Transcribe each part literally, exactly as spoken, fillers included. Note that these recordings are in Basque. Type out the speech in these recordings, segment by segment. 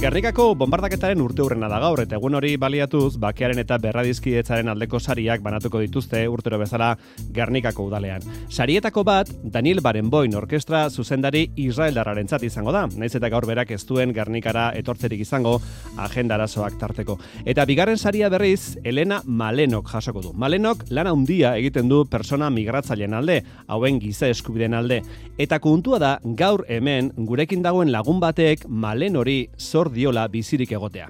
Gernikako bombardaketaren urteurrena da gaur, eta egun hori baliatuz, bakearen eta berradizkidetzaren aldeko sariak banatuko dituzte urtero bezala Gernikako udalean. Sarietako bat, Daniel Barenboim orkestra zuzendari israeldarrarentzat izango da, naiz eta gaur berak ez duen Gernikara etortzerik izango agenda arazoak tarteko. Eta bigarren saria berriz, Elena Malenok jasoko du. Malenok lana handia egiten du persona migratzaileen alde, hauen giza eskubideen alde. Eta kontua da, gaur hemen, gurekin dagoen lagun batek Malen hori zor diola bizirik egotea.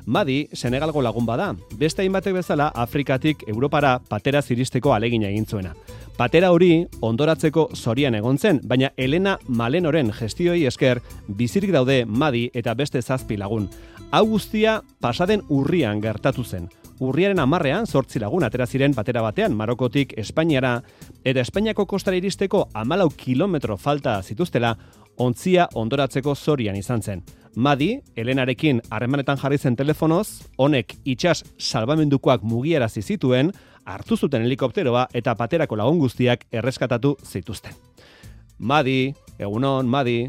Madi, Senegalgo lagun bada, beste hainbatek bezala Afrikatik Europara patera ziristeko alegina egin zuena. Patera hori ondoratzeko zorian egon zen, baina Elena Malenoren gestioi esker bizirik daude Madi eta beste zazpi lagun. Hau guztia pasaden urrian gertatu zen. Urriaren hamarrean zortzi lagun atera ziren patera batean Marokotik Espainiara, eta Espainiako kostara iristeko hamalau kilometro falta zituztela, ontzia ondoratzeko zorian izan zen. Madi, Elenarekin harremanetan jarri zen telefonoz, honek itsas salbamendukoak mugiarazi zituen, hartu zuten helikopteroa eta paterako lagun guztiak erreskatatu zituzten. Madi, egunon, Madi.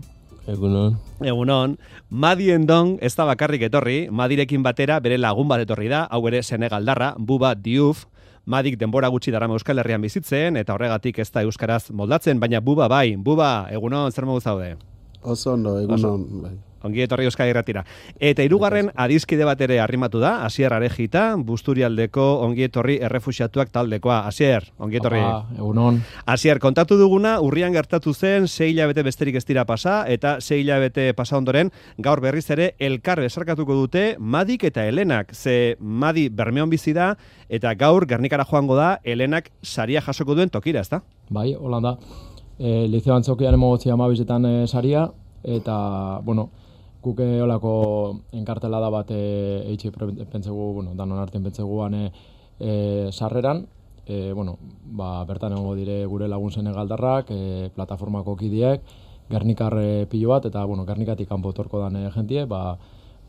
Egunon. Egunon. Madi Endong ez da bakarrik etorri, Madirekin batera bere lagun bat etorri da, hau ere Senegaldarra, Buba Diouf. Madik denbora gutxi darama Euskal Herrian bizitzen, eta horregatik ez da euskaraz moldatzen, baina Buba bai. Buba, egunon, zer modu zaude? Oso ondo, egunon, bai. Ongi etorri Euskal Irratira. Eta hirugarren adiskide bat ere arrimatu da, Asier Arejita, Busturialdeko ongi etorri errefuxiatuak taldekoa. Asier, ongi etorri. Apa, egunon. Asier, kontatu duguna, urrian gertatu zen, sei hilabete besterik ez dira pasa, eta sei hilabete pasa ondoren, gaur berriz ere, elkar besarkatuko dute Madik eta Elenak. Ze Madi Bermeon bizi da, eta gaur Gernikara joango da, Elenak saria jasoko duen tokira, ezta? Bai, holan da. E, Liceo Antzokian emogotzi amabizetan e, saria, eta, bueno, Guk olako enkartelada bat eitxe pentsegu, bueno, danon artean pentseguan e, e, sarreran, e, bueno, ba, bertan egongo dire gure lagun senegaldarrak, e, plataformako kidiek, Gernikar e, pilo bat, eta, bueno, Gernikatik kanpo etorko dan e, jentie, ba,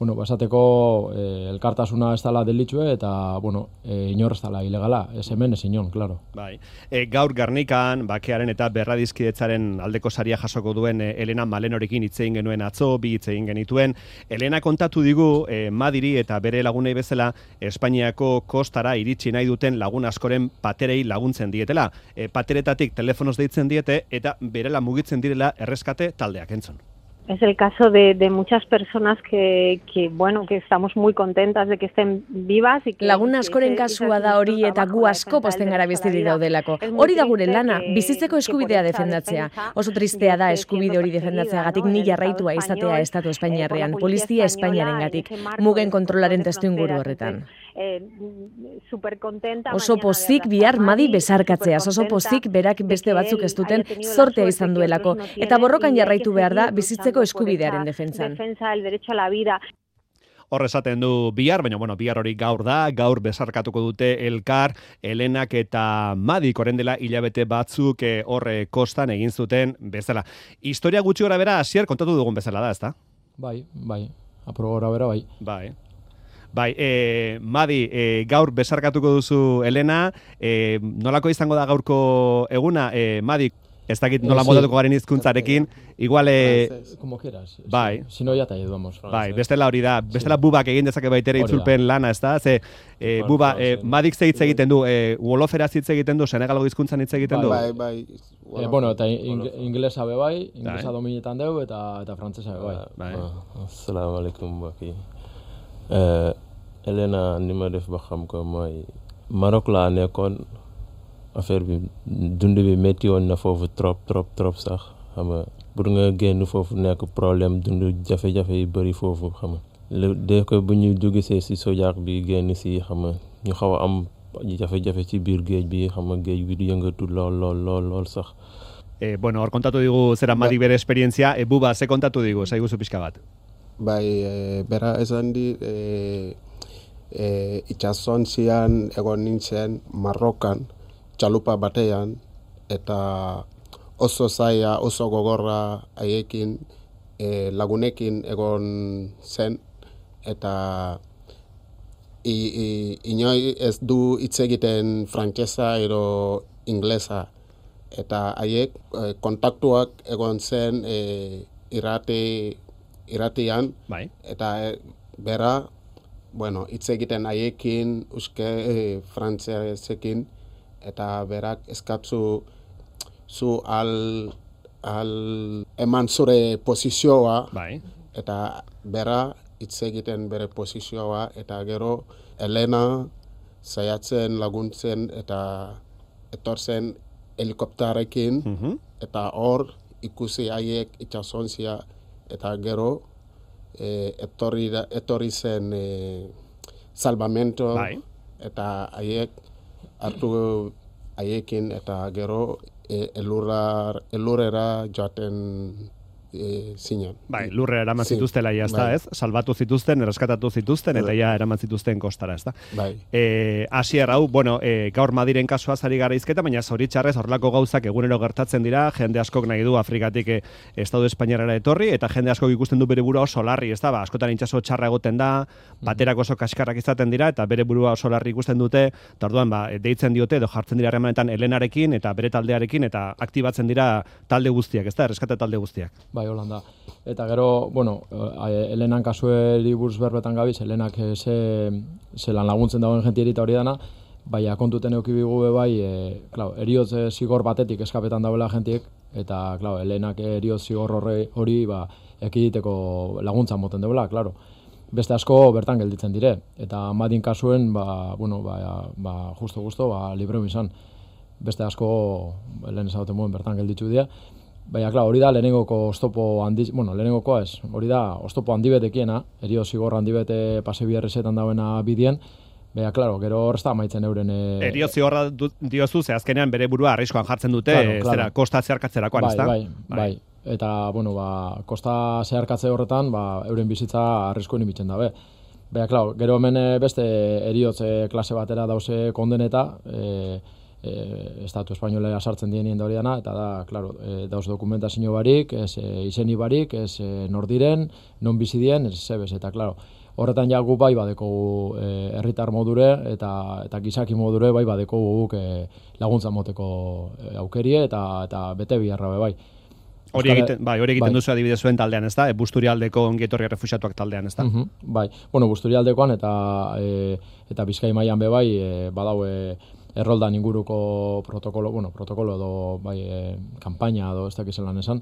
bueno, basateko e, elkartasuna ez dela delitxue, eta, bueno, e, inor ez dela ilegala, ez hemen, ez inon, klaro. Bai. E, gaur Gernikan, bakearen eta berradizkidetzaren aldeko saria jasoko duen e, Elena Malenorekin hitz egin genuen atzo, bi hitz egin genituen. Elena kontatu digu, e, Madiri eta bere lagunei bezala, Espainiako kostara iritsi nahi duten lagun askoren paterei laguntzen dietela. E, pateretatik telefonoz deitzen diete, eta berela mugitzen direla erreskate taldeak, entzun. Es el caso de, de muchas personas que, que, bueno, que estamos muy contentas de que estén vivas. Y que, Lagun askoren kasua da hori eta gu asko posten gara bizirik daudelako. Hori da gure lana, bizitzeko eskubidea defendatzea. Oso tristea da eskubide hori defendatzeagatik ni jarraitua izatea Estatu Espainiarrean, Polizia Espainiarengatik, mugen kontrolaren testuinguru horretan. Oso pozik bihar Madi besarkatzeaz, oso pozik berak beste batzuk ez duten zortea izan duelako, eta borrokan jarraitu behar da bizitzeko eskubidearen defentsan. Hor esaten du bihar, baina bueno, bihar hori gaur da, gaur besarkatuko dute elkar, Elenak eta Madik orain dela hilabete batzuk horre kostan egin zuten bezala. Historia gutxi gora bera, Asier, kontatu dugun bezala da, ezta? Bai, bai, apro gora bera, bai. Bai. Bai, e, Madi, e, gaur besarkatuko duzu Elena, e, nolako izango da gaurko eguna, e, Madi, ez dakit nola modatuko garen hizkuntzarekin, igual... E, Como quieras. Bai. Si no, ya te ayudamos. Bai, bestela hori da, bestela Bubak egin dezake baitere itzulpen lana, ez da? Ze, e, Buba, e, Madik ze hitz egiten du, e, Woloferaz hitz egiten du, Senegalgo hizkuntzan hitz egiten du? Bai, bai. Eh, bueno, eta inglesa be bai, inglesa dominetan deu, eta, eta frantzesa be bai. Bai. Assalamu alaikum, baki. Uh, Elena ni ma def ba xam ko mooy Maroc laa nekkoon affaire bi dund bi métti woon na foofu trop trop trop sax xam nga pour nga génn foofu nekk problème dund jafe-jafe yi bëri foofu xam nga dès que bu ñu jógesee si sojaak bi génn si xam nga ñu xaw a am jafe-jafe ci biir géej bi xam nga géej bi di yëngatu lool lool lool lool sax. Eh, bueno, hor kontatu digu zera Madik bere esperientzia, e, Buba, ze kontatu digu, zaiguzu pixka bat? Bai, e, bera esan di, e, e, itxasontzian egon nintzen Marrokan, txalupa batean, eta oso zaila, oso gogorra haiekin e, lagunekin egon zen, eta i, i, inoi ez du hitz egiten frantsesa edo inglesa. Eta haiek e, kontaktuak egon zen e, irrati, irratian, bai. eta e, bera, bueno, hitz egiten haiekin, uske e, frantsesekin, eta berak eskatzu zu al, al eman zure posizioa, bai. eta bera hitz egiten bere posizioa, eta gero Elena saiatzen laguntzen eta etortzen helikopterekin, Mhm. eta hor ikusi haiek itsasontzia, eta gero eh, etorri, da- etorri zen eh, salvamento, Bai. eta haiek hartu haiekin, eta gero eh, elurra, elurrera joaten eh, zinen. Bai, lurrera eraman Sí, zituztela ja, ez da, bai. ez? Salbatu zituzten, erreskatatu zituzten, eta ja eraman zituzten kostara, ez da? Bai. E, Asier, hau, bueno, e, gaur Madiren kasua zari gara izketa, baina zoritxarrez horrelako gauzak egunero gertatzen dira, jende askok nahi du Afrikatik e, Estado Espainiarara etorri, eta jende askok ikusten du bere burua oso larri, ez da, ba, askotan itxaso txarra egoten da, baterak oso kaskarrak izaten dira, eta bere burua oso larri ikusten dute, eta orduan, ba, deitzen diote, edo jartzen dira harremanetan Helenarekin, eta bere taldearekin, eta aktibatzen dira talde guztiak, ez da, erreskate talde guztiak. Bai, Holanda. Eta gero, bueno, eh, Helenan kasueri buruz berbetan gabiz, Helenak eh, ze, ze lan laguntzen dagoen jentieri eta hori dana, baina kontuten eukibigu be bai, e, claro, eriotz eh, zigor batetik eskapetan dauela jentiek, eta, claro, Helenak eriotz zigor horre, hori, ba, ekiditeko laguntza moten deula, claro. Beste asko bertan gelditzen dire, eta Madin kasuen, ba, bueno, ba, ba, justo-justo, ba, libre izan. Beste asko, lehen ezagoten moen bertan gelditzu dira. Baina, klar, hori da lehenengoko oztopo handi, bueno, lehenengokoa ez, hori da oztopo handibetekiena, erio zigor handibete pase biherrezetan dauena bidien, baina, klaro, gero hor ez da amaitzen euren... E... Erio zigorra du- diozu, ze azkenean bere burua arriskoan jartzen dute, Claro, e, claro. zera, kosta zeharkatzerakoan, bai, ez da? bai, bai, eta, bueno, ba, kosta zeharkatze horretan, ba, euren bizitza arriskoen imitzen dabe. Baina, klaro, gero hemen eh, beste eriotze klase batera dauze kondeneta, e, e, Estatu Espainolera sartzen dienien da hori dana, eta da, klaro, e, dauz dokumentazio barik, ez e, izeni barik, ez e, nordiren, non bizi dien, ez zebez, eta, klaro, horretan ja gu bai badekogu e, herritar modure eta eta gizaki modure bai badekogu guk e, laguntza moteko e, aukerie eta eta bete biharra be bai. Hori Euskal- egiten, bai, hori egiten bai. duzu adibidez zuen taldean, ez da? E, Busturialdeko ongietorri errefuxiatuak taldean, ez da? Mhm, bai. Bueno, Busturialdekoan eta e, eta Bizkai mailan be bai e, badau e, erroldan inguruko protokolo, bueno, protokolo edo bai e, kanpaina edo ez dakiz zelan esan.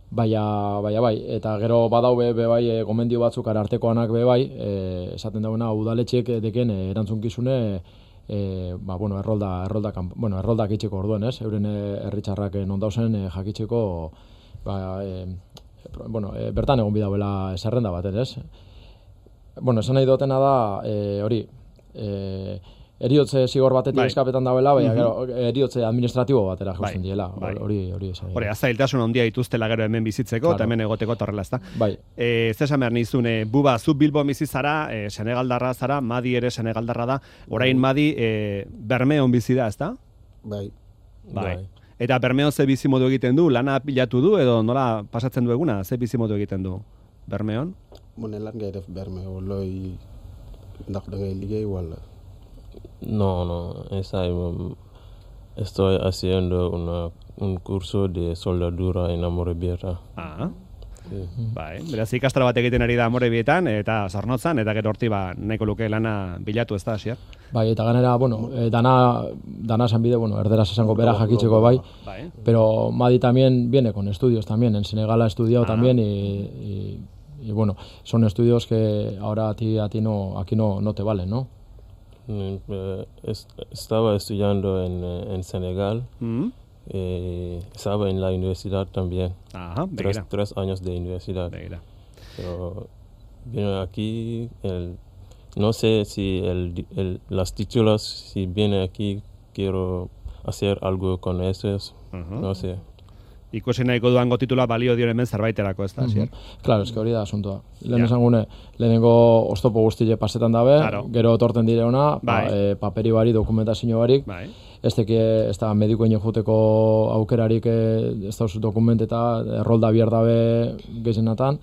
Baina, baina bai, eta gero badau be, be bai e, gomendio batzuk arartekoanak be bai, e, esaten dagoena udaletxeek deken e, erantzunkizune e, ba, bueno, errolda, errolda, kanp- bueno, erroldak itxeko orduen, ez? Euren e, herritzarrak e, non dauzen e, jakitzeko, ba, e, pro- bueno, e, bertan egon bidauela zerrenda baten, ez? Bueno, esan nahi dutena da, e, hori, e, eriotze zigor batetik Bai. eskapetan dauela, baina Mhm. gero eriotze administratibo batera Bai, jausten diela, bai. hori hori esan. Hori, azailtasun handia dituztela gero hemen bizitzeko, Claro. eta hemen egoteko eta horrela, ez da? Bai. E, ez esan behar nizune, buba, zu Bilbo bizi zara, e, Senegaldarra zara, Madi ere Senegaldarra da, orain Madi e, Bermeon bizi da, ez da? Bai. Bai. Eta Bermeon ze bizimodu egiten du, lana pilatu du, edo nola pasatzen du eguna, ze bizimodu egiten du Bermeon? mu ne lan ngay def Bermeo looy ndax da ngay liggéey wala No, no, esa um, estoy haciendo una, un curso de soldadura en Amorebieta. Ah, Sí. bai, beraz ikastaro bat egiten ari da Amorebietan, eta Zornotzan, eta gero horti ba, nahiko luke lana bilatu, ez da, Asier? Bai, eta ganera, bueno, eh, dana, dana esan bide, bueno, erderaz esango bera jakitzeko bai, Bai. pero Madi también viene con estudios también, en Senegal ha estudiado Ah. también y, y, y bueno, son estudios que ahora a ti, a ti no, aquí no, no te valen, ¿no? Mm, eh, es- estaba estudiando en, eh, en Senegal, Mm. eh, estaba en la universidad también, Ajá, tres, begira, tres años de universidad. begira. Pero vino aquí, el, no sé si el, el, las títulos, si viene aquí, quiero hacer algo con esos, Ujú. no sé. ikusi nahiko duango titula balio dio hemen zerbaiterako, ez da, mm -hmm. Claro, eske hori da asuntoa. Lehen esan gune, lehenengo oztopo guztile pasetan dabe, claro. Gero torten dire ona, bai. pa, e, paperi bari, dokumentazio barik, bai. Ez teke, ez da medikoen juteko aukerarik, ez da dokument eta errolda bier dabe gezenatan,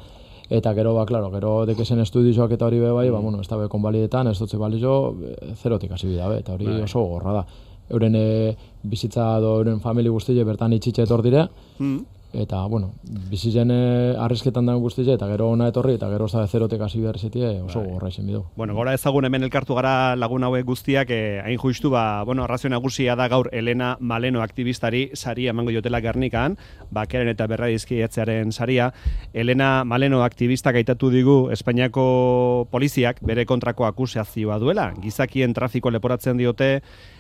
eta gero, ba, klaro, gero dekezen estudioak eta hori be bai, mm. ba, bueno, ez da be konbalidetan, ez dutze balizo, zerotik hasi bidabe, eta hori bai. Oso gorra da. Euren e, bizitza do, euren famili guztile bertan itxitxe etor dire, mm. eta, bueno, bizitzen e, arrisketan dago guztile, eta gero ona etorri, eta gero zabe zerotek hasi behar zetie, oso bai. Gorra izen bidu. Bueno, gora ezagun hemen elkartu gara lagun hauek guztiak, eh, hain justu, ba, bueno, arrazio nagusia da gaur Elena Maleno aktivistari saria emango jotela Gernikan, bakearen eta berradizkietzearen saria. Elena Maleno aktivistak aitatu digu Espainiako poliziak bere kontrako akusazioa duela, gizakien trafiko leporatzen diote,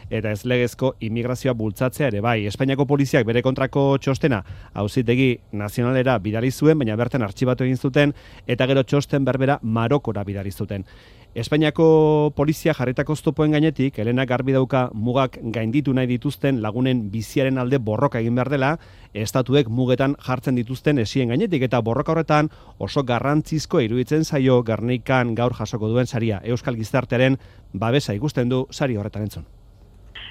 eta ez legezko immigrazioa bultzatzea ere bai. Espainiako poliziak bere kontrako txostena auzitegi nazionalera bidali zuen, baina bertan artxibatu egin zuten, eta gero txosten berbera Marokora bidali zuten. Espainiako polizia jarritako oztopoen gainetik, Elena garbi dauka mugak gainditu nahi dituzten lagunen biziaren alde borroka egin behar dela, estatuek mugetan jartzen dituzten esien gainetik, eta borroka horretan oso garrantzizko iruditzen zaio Gernikan gaur jasoko duen saria. Euskal gizartearen babesa ikusten du sari horretan entzun.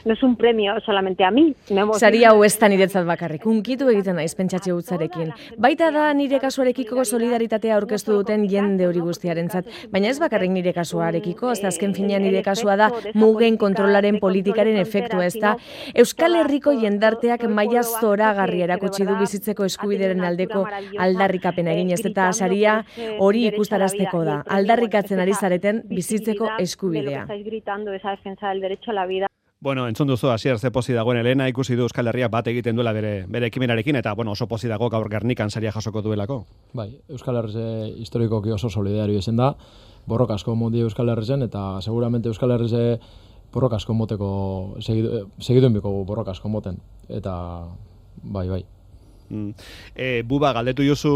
No es un premio solamente a mí. Sari hau ez da niretzat bakarrik, unkitu egiten naiz pentsatxe hutzarekin. Baita da nire kasuarekiko solidaritatea aurkeztu duten jende hori guztiarentzat, baina ez bakarrik nire kasuarekiko, ez da azken finean nire kasua da mugen kontrolaren politikaren efektua, ez da Euskal Herriko jendarteak maila zoragarri erakutsi du bizitzeko eskubideren aldeko aldarrikapena egin, ez eta saria hori ikustarazteko da, aldarrikatzen ari zareten bizitzeko eskubidea. Bueno, entzun duzu, hasier ze pozi dagoen Elena, ikusi du Euskal Herriak bat egiten duela bere, bere ekimenarekin, eta bueno, oso pozi dago gaur Gernikan saria jasoko duelako. Bai, Euskal Herrize historikoki oso solidario izen da, borroka asko moti Euskal Herrizen, eta seguramente Euskal Herrize borroka asko moteko, segidu, segiduen biko borroka asko moten, eta bai, bai. Mm. E, buba, galdetu jozu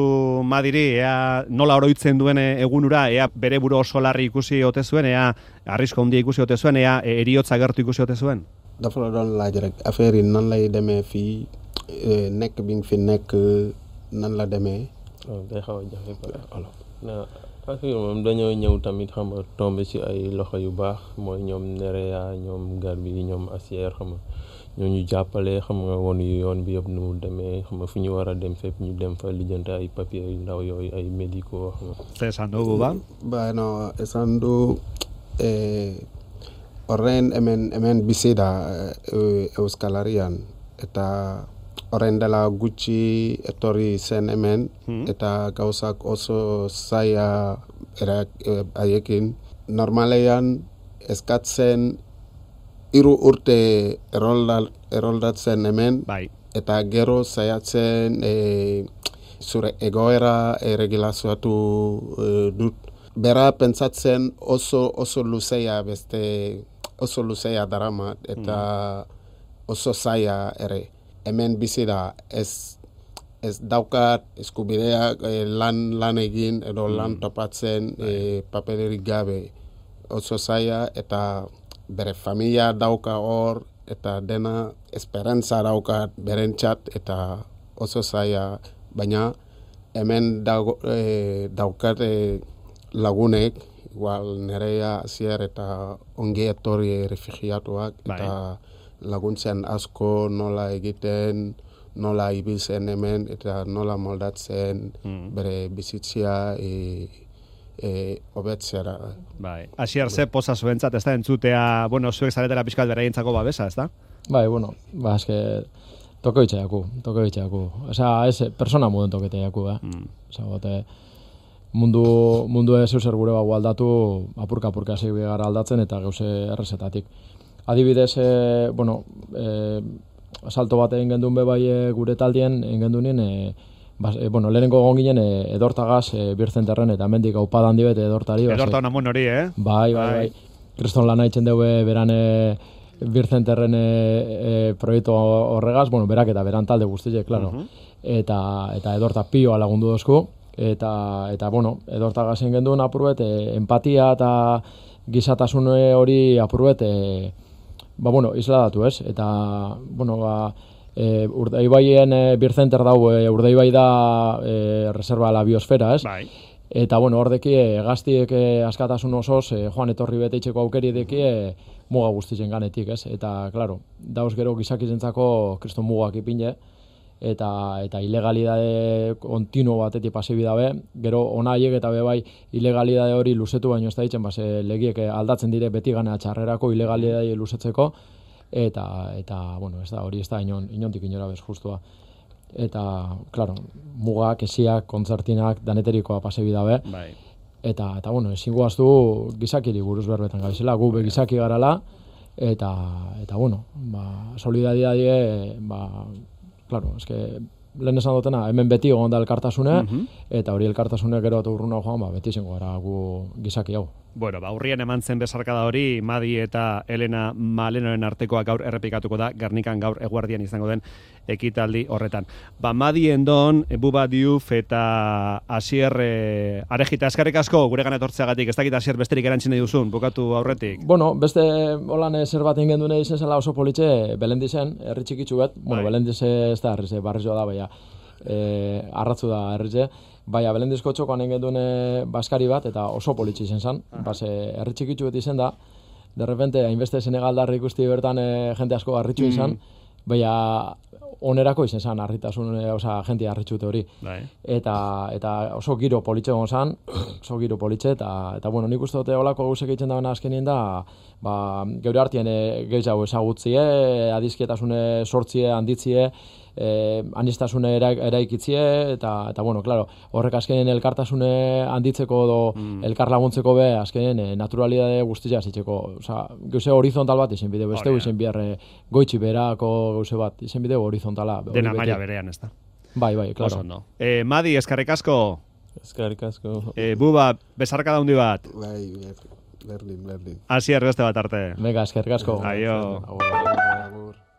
Madiri, ea nola oroitzen duen egunura, ea bere buru oso larri ikusi ote zuen, ea arrisko handia ikusi ote zuen, ea eriotza gertu ikusi ote zuen? Dafa la doon laaj rek affaire yi nan lay demee fii nekk bi nga fi nekk nan la demee. Day xaw a jafe alors. Na affaire moom dañoo ñëw tamit xam nga tombé ci ay loxo yu baax mooy ñoom Nerea, ñoom Garbi, ñoom Asier xam nga ñoo ñu jàppale xam nga woon yu yoon bi yëpp nu mu demee xam nga fu ñu war a dem fépp ñu dem fa lijjante ay papier yu ndaw yooyu ay médicaux xam nga. Ze esan du, Buba? Bueno, esan du eh, horren hemen, hemen bizi da eh, Euskal Herrian eta horren dela gutxi etorri zen hemen hmm. eta gauzak oso zaila erak eh, haiekin. Normalean eskatzen hiru urte erroldatzen hemen, bai. Eta gero saiatzen e, zure egoera erregulazioatu e, dut. Bera pentsatzen oso oso luzea beste oso luzea darama eta mm. oso zaila ere. Hemen bizi da ez ez daukat eskubideak e, lan lan egin edo mm. lan topatzen e, papererik gabe. Oso zaila eta bere familia dauka hor, eta dena esperantza daukat berentzat, eta oso zaila, baina hemen dago, e, daukat e, lagunek, igual Nerea, Asier eta ongi etorri refugiatuak, eta laguntzen asko nola egiten, nola ibiltzen hemen, eta nola moldatzen mm. bere bizitzia e, E, obetzera. Bai. Asier ze poza zuentzat, ez da entzutea, bueno, zuek zaretela pixkat beraientzako babesa, ez da? Bai, bueno, ba, eske toko itxaiaku, toko itxaiaku. Osea, ez, persona muden toketeiaku, eh? Mm. Osea, bote, mundu, mundu ez euser gure bago aldatu, apurka-apurka hasi gara aldatzen eta gauze errezetatik. Adibidez, e, bueno, e, asalto bat egin gendun bebai e, gure taldien, egin gendunien, e, Bas, e, bueno, lehenengo egon ginen e, edortagaz e, birzenterren eta mendik aupada handi bete edortari. Edorta hona mon hori, eh? Bai, bai, bai. Kriston lan haitzen dugu beran e, birzenterren e, e, proiektu horregaz, bueno, berak eta beran talde guztiek, klaro. Uh-huh. Eta, eta edorta pioa lagundu dozku. Eta, eta bueno, edortagaz egin genduen apurbet, e, empatia eta gizatasun hori apurbet, e, ba, bueno, isladatu, ez? Eta, bueno, ba, E, Urdaibaien e, Bircenter dau, e, Urdaibai da e, reserva la biosfera, ez? Bai. Eta, bueno, hordeki e, gaztiek e, askatasun osoz, e, joan etorri bete itxeko aukeri deki e, muga guztizen ganetik, ez? Eta, klaro, dauz gero gizakizentzako kriston mugak ipine, eta eta ilegalidade kontinuo batetik pasibi dabe, gero ona haiek eta be bai ilegalidade hori luzetu baino ez da ditzen, base legiek aldatzen dire beti gana txarrerako ilegalidade luzetzeko, eta, eta bueno, ez da, hori ez da inon, inontik inora bez justua. Eta, claro, mugak, esiak, kontzertinak, daneterikoa pasibi dabe, Bai. eta, eta bueno, ezin guaztu gizakiri buruz berbetan gabizela, gu be gizaki garala, eta, eta bueno, ba, solidariadie, ba, claro, es que lehen esan dutena, hemen beti egon da elkartasune, Mhm. eta hori elkartasune gero eta urruna joan, ba, beti izango gara gu gizaki hau. Bueno, ba, urrian eman zen besarkada hori, Madi eta Elena Malenoren artekoa gaur errepikatuko da, Gernikan gaur eguardian izango den ekitaldi horretan. Ba, Madi Endon, Buba Diouf eta Asier eh, Arejita, eskerrik asko gure gana etortzeagatik, ez dakit Asier besterik erantzin nahi duzun, bukatu aurretik. Bueno, beste holan zer bat ingen dune izen zela oso politxe, Belendizen, herri txikitsu bat, bueno, Bai. Belendize ez da herrize, barrizioa da, baina, e, arratzu da herrize, baina Belendizko txokoan ingen dune baskari bat, eta oso politxe izen zen, base, herri txikitsu bat izen da, de repente, hainbeste Senegaldarri ikusti bertan e, jente asko harritxu izan, baina onerako izen zen, harritasun, e, oza, jente harritxute hori. Bai. Eta, eta oso giro politxe egon zan, oso giro politxe, eta, eta bueno, nik uste dute olako gauzek egiten dagoena azkenien da, ba, geure hartien e, gehiago ezagutzie, adizkietasune sortzie, handitzie, eh, anistasune era, eraikitzie, eta, eta bueno, claro, horrek azkenien elkartasune handitzeko edo Mm. elkar laguntzeko be, azkenien e, naturalidade guztia zitzeko, oza, gauze horizontal bat izen bideo, beste Hori da. izen bihar e, goitxi berako gauze bat, izen bideo horizontala. hori Dena beti. maila berean, ez da. Bai, bai, Oso claro. ondo. Eh, Madi, eskerrik asko. Eskerrik asko. Eh, Buba, besarkada handi bat. Bai, ber- berdin, berdin. Asier beste bat arte. Venga, eskerrik asko. Aio. Agur. Agur.